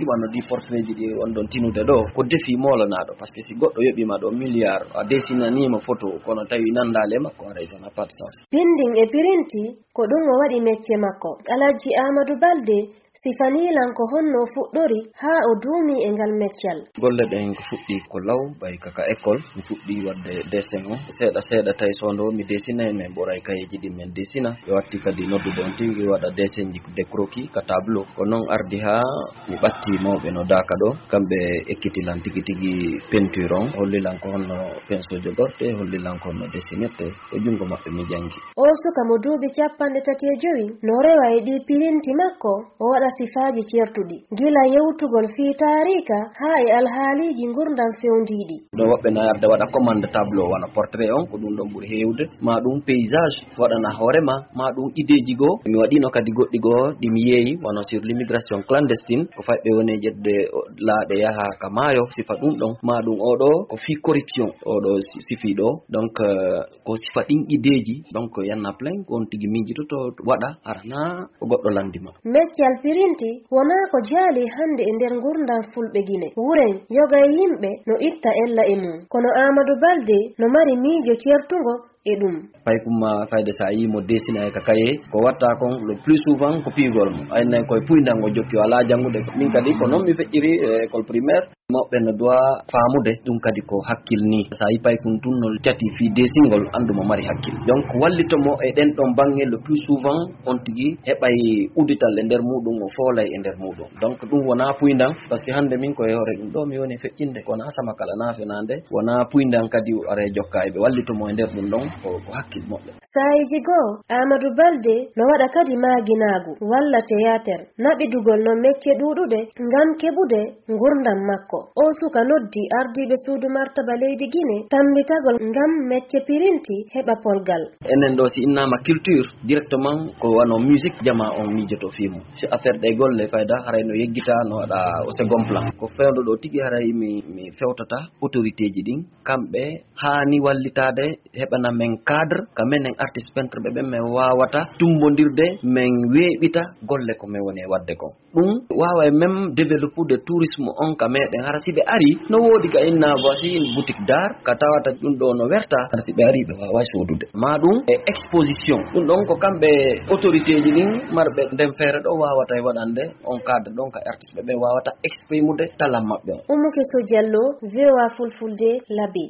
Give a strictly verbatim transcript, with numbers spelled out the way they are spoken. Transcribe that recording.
Wano ɗi portrait ji ɗi on ɗon tinude ɗo, ko defi moolanaaɗo, parce que si goɗɗo yoɓiima ɗo milliard, a dessinaniima photo, kono tawi nanndaali e makko, haray ça n'a pas de sens. Pindin e pirinti, ko ɗum o waɗi mecce makko. Alhaji Amadou Balde sifanii lan ko honno o fuɗɗori haa o duumii e ngal meccal. Golle ɗen ko fuɗɗi ko law, ɓay ka, ka école. Mi fuɗɗi waɗde dessin o. Seeɗa, seeɗa tawi so ndo mi dessinay, min ɓoray kayeeji ɗi min dessina. Ɓe watti kadi noddude on tigi waɗa dessin ji, des croquis ka tableau. Ko non ardi haa mi ɓatti mawɓe no Daaka ɗo. Kamɓe ekkiti lan tigi tigi peinture on, holli lan ko honno pinceau jogorte, holli lan ko honno dessinirte. E junngo maɓɓe mi janngi. O suka mo duuɓi capanɗe tati e jowi no rewa e ɗi pirinti makko, o waɗa sifaaji ceertuɗi, gila yewtugol fii taariika haa e alhaaliiji ngurndan fewndiiɗi. No woɓɓe na arde waɗa commande tableau, wano portrait on, ko ɗum ɗon ɓuri heewde, maa ɗum paysage, waɗana hoore ma, maa ɗum ideeji goo. Mi waɗino kadi goɗɗi goo ɗi mi yeeyi, wano sur l'immigration clandestine, ko fayɓe woni e ƴettude o, laaɗe yaha ka maayo, sifa ɗum ɗon, maa ɗum oɗo ko fii corruption, oɗo si-, sifii ɗo. Donc, euh, ko sifa ɗin ideeji, donc, y en a plein, ko on tigi miijototo waɗa, hara naa ko goɗɗo lanndi ma. Meccal pirinti wonaa ko jaali hannde e nder ngurndan Fulɓe Gine. Wuren, yoga e yimɓe no itta ella e mum. Kono Amadou Balde no mari miijo ceertungo e ɗum. Paykum ma fayde so a yii mo dessinay ka kaye, ko watta kon le plus souvent ko piigol mo. Aynay koye puyndan o jokki, o alaa janngude. Min kadi ko non mi feƴƴiri e école primaire. Mawɓe no doit faamude ɗum kadi ko hakkil ni. So a yi paykun tun no cati fii desingol, anndu mo mari hakkil. Donc, wallito mo e ɗen ɗon baŋŋe le plus souvent, on tigi heɓay udital e nder muɗum, o foolay e nder muɗum. Donc, ɗum wonaa puyndan, parce que hannde min ko e hoore ɗum ɗo mi woni feƴƴinde, ko wonaa sama kala naa fenaande, wonaa puyndan kadi o ara e jokka e ɓe wallito mo e nder ɗum ɗon, ko, ko hakkil moƴƴo. Saa'iiji goo, Aamadu Balde no waɗa kadi maaginaagu walla teyaater, naɓidugol non mecce ɗuuɗuɗe ngam keɓude ngurndan makko. Oo suka noddi ardiiɓe suudu martaba leydi Gine tammbitagol ngam mecce pirinti heɓa polgal. Enen ɗoo, si innaama culture, directement ko wano musique jamaa on miijoto fii mum. Si affaire ɗe golle fayda, haray no yeggita, no waɗa au second plan. Ko fewndo ɗoo tigi, haray mi, mi fewtata autorité ji ɗin, kamɓe haani wallitaade, heɓana men cadre, ka menen artiste peintre ɓe ɓen, men waawata tummbondirde, men weeɓita golle ko men woni e waɗde kon. Ɗum waawa e même développude tourisme on ka meɗen. Hara si ɓe ari, no woodi ka inna voici une boutique d'art, ka tawata ɗum ɗo no werta. Hara si ɓe ari, ɓe waaway soodude. Maa ɗum e exposition. Ɗum ɗon ko kamɓe autorité ji ɗin marɓe nden feere ɗo waawata e waɗande on cadre ɗon ka artiste ɓe ɓen waawata exprimude talent maɓɓe on. Umu Keso Jallo, V O A Fulfulde, Labi.